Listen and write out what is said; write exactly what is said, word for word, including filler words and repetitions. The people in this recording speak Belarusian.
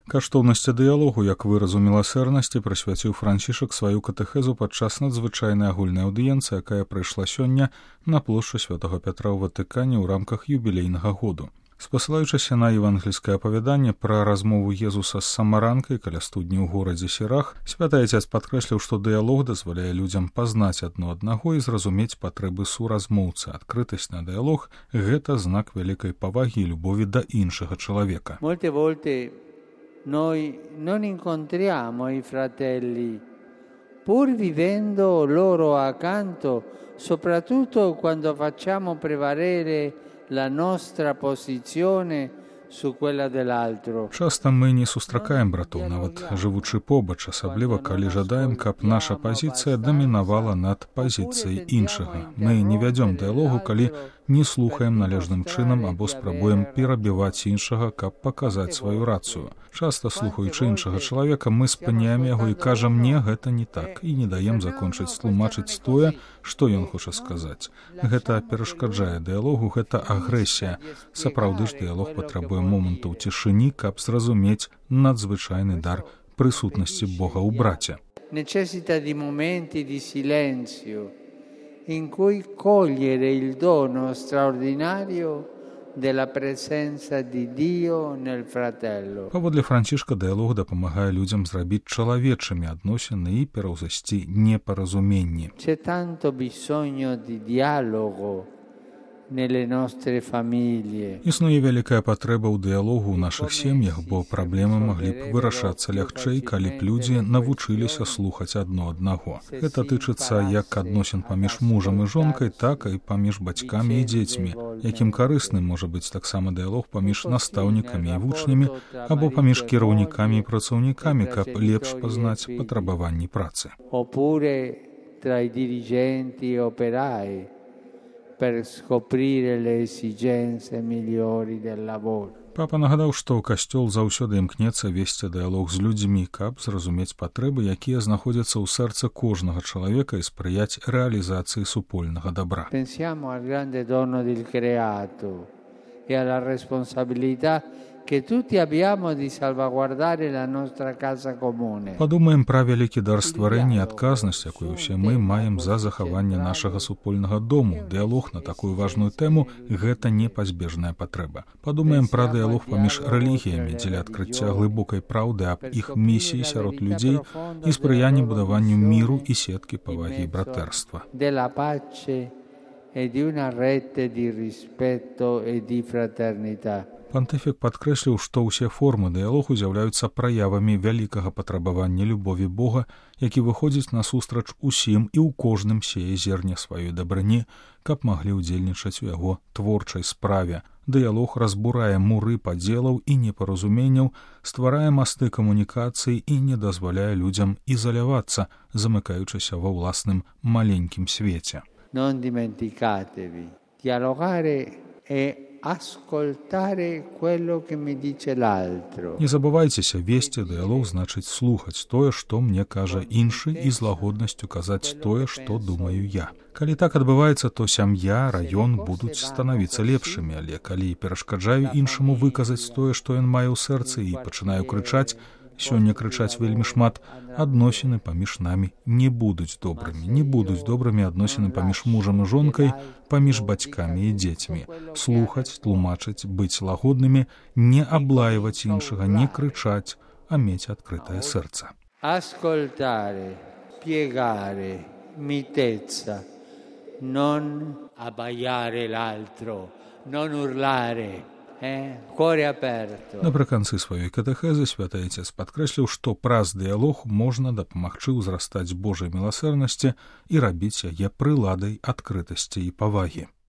Каштоўнасці дыялогу як выразу міласэрнасці прысвяціў Францішак сваю катэхезу падчас надзвычайнай агульнай аўдыенцыі, якая прайшла сёння на плошчы Святога Пятра ў Ватыкане ў рамках юбілейнага году. Спасылаючыся на евангельскае апавяданне пра размову Езуса з самаранкай каля студні ў горадзе Сірах, святы Отец падкрэсліў, што дыялог дазваляе людзям пазнаць адно аднаго і зразумець патрэбы суразмоўцы. Адкрытасць на дыялог – гэта знак вялікай павагі і любові да іншага чалавека. Molte volte noi non incontriamo i fratelli, pur vivendo loro accanto, soprattutto quando facciamo prevalere la nostra posizione su quella dell'altro. Часта мы не сустракаем братоў, нават жывучы побач, асабліва калі жадаем, каб наша пазіцыя дамінавала над пазіцыяй іншага. Мы не вядзём дыялогу, калі не слухаем належным чынам або спрабуем перабіваць іншага, каб паказаць сваю рацыю. Часта, слухаючы іншага чалавека, мы спыняем яго і кажам: «Не, гэта не так», і не даем закончыць тлумачыць тое, што ён хоча сказаць. Гэта перашкаджае дыялогу, гэта агрэсія. Сапраўды ж дыялог патрабуе момантаў цішыні, каб зразумець надзвычайны дар прысутнасці Бога ў браце. Necessita di momenti di silenzio in cui cogliere il dono straordinario della presenza di Dio nel fratello. Паводле Францішка дыялог дапамагае людзям зрабіць чалавечымі адносіны і пераўзасці непаразуменні. C'è tanto bisogno di dialogo nelle nostre famiglie. Існуе вялікая патрэба ў дыялогу ў нашых сем'ях, бо праблемы маглі б вырашацца лягчэй, калі б людзі навучыліся слухаць адно аднаго. Гэта тычыцца як адносін паміж мужам і жонкай, так і паміж бацькамі і дзецьмі. Якім карысным можа быць таксама дыялог паміж настаўнікамі і вучнямі або паміж кіраўнікамі і працаўнікамі, каб лепш пазнаць патрабаванні працы. Oppure tra i dirigenti e operai, per scoprire le esigenze migliori del lavoro. Папа нагадаў, што касцёл заўсёды імкнецца весці дыялог з людзьмі, каб зразумець патрэбы, якія знаходзяцца ў сэрцы кожнага чалавека і спрыяць рэалізацыі супольнага дабра. Pensiamo al grande dono del creato e alla responsabilità che tutti abbiamo di salvaguardare la nostra casa comune. Падумаем пра вялікі дар стварэння і адказнасць, якую ўсе мы маем за захаванне нашага супольнага дому. Дыялог на такую важную тэму – гэта непазбежная патрэба. Падумаем пра дыялог паміж рэлігіямі дзеля адкрыцця глыбокай праўды аб іх місіі сярод людзей і спрыяння будаванню міру і сеткі павагі і братэрства. Della pace e di una rete di rispetto e di fraternità. Пантыфік падкрэсліў, што ўсе формы дыялогу з'яўляюцца праявамі вялікага патрабавання любові Бога, які выходзіць насустрач усім і ў кожным сее зерне сваёй дабрыні, каб маглі ўдзельнічаць у яго творчай справе. Дыялог разбурае муры падзелаў і непаразуменняў, стварае масты камунікацыі і не дазваляе людзям ізалявацца, замыкаючыся ва ўласным маленькім свеце. Non dimenticatevi, dialogare è ascoltare quello che mi dice l'altro. Не забывайцеся, весці дыялог значыць слухаць тое, што мне кажа іншы, і з лагоднасцю казаць тое, што думаю я. Калі так адбываецца, то сям'я, раён будуць станавіцца лепшымі, але калі перашкаджаю іншаму выказаць тое, што ён мае ў сэрцы, і пачынаю крычаць, сёння крычаць вельмі шмат, адносіны паміж намі не будуць добрымі. Не будуць добрымі адносіны паміж мужам і жонкай, паміж бацькамі і дзецьмі. Слухаць, тлумачыць, быць лагоднымі, не аблаіваць іншага, не крычаць, а мець адкрытае сэрца. Ascoltare, spiegare, mitezza, non abbaiare l'altro, non urlare. Напрыканцы сваёй катэхезы святы Отец падкрэсліў, што праз дыялог можна дапамагчы ўзрастаць Божай міласэрнасці і рабіць яе прыладай адкрытасці і павагі.